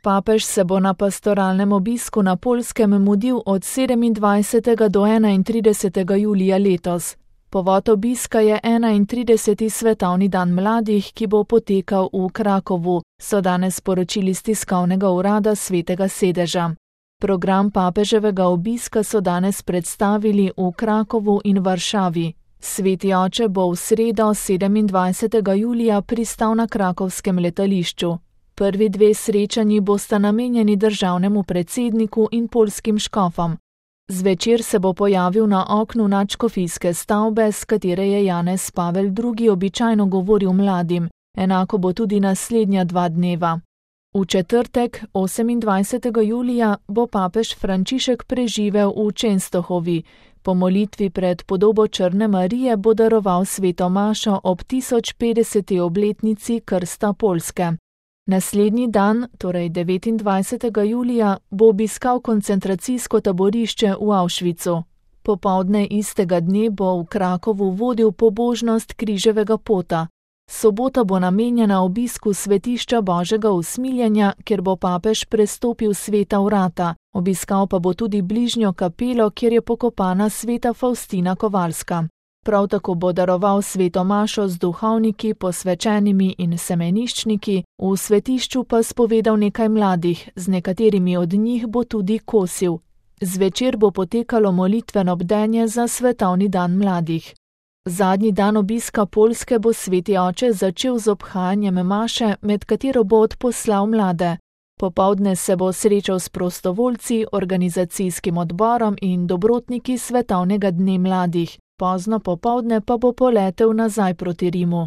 Papež se bo na pastoralnem obisku na Poljskem mudil od 27. do 31. julija letos. Povod obiska je 31. svetovni dan mladih, ki bo potekal v Krakovu, so danes sporočili s tiskovnega urada Svetega sedeža. Program papeževega obiska so danes predstavili v Krakovu in Varšavi. Sveti oče bo v sredo 27. julija pristal na krakovskem letališču. Prvi dve srečanji bosta namenjeni državnemu predsedniku in poljskim škofom. Zvečer se bo pojavil na oknu nadškofijske stavbe, s katere je Janez Pavel II. Običajno govoril mladim, enako bo tudi naslednja 2 dneva. V četrtek, 28. julija, bo papež Frančišek preživel v Čenstohovi. Po molitvi pred podobo Črne Marije bo daroval sveto mašo ob 1050. obletnici krsta Poljske. Naslednji dan, torej 29. julija, bo obiskal koncentracijsko taborišče v Auschwitzu. Popoldne istega dne bo v Krakovu vodil pobožnost križevega pota. Sobota bo namenjena obisku svetišča Božjega usmiljenja, kjer bo papež prestopil sveta vrata. Obiskal pa bo tudi bližnjo kapelo, kjer je pokopana sveta Faustina Kovalska. Prav tako bo daroval sveto mašo z duhovniki, posvečenimi in semeniščniki, v svetišču pa spovedal nekaj mladih, z nekaterimi od njih bo tudi kosil. Zvečer bo potekalo molitveno bdenje za svetovni dan mladih. Zadnji dan obiska Poljske bo sveti oče začel z obhajanjem maše, med katero bo odposlal mlade. Popoldne se bo srečal s prostovoljci, organizacijskim odborom in dobrotniki svetovnega dne mladih. Pozno popoldne pa bo poletel nazaj proti Rimu.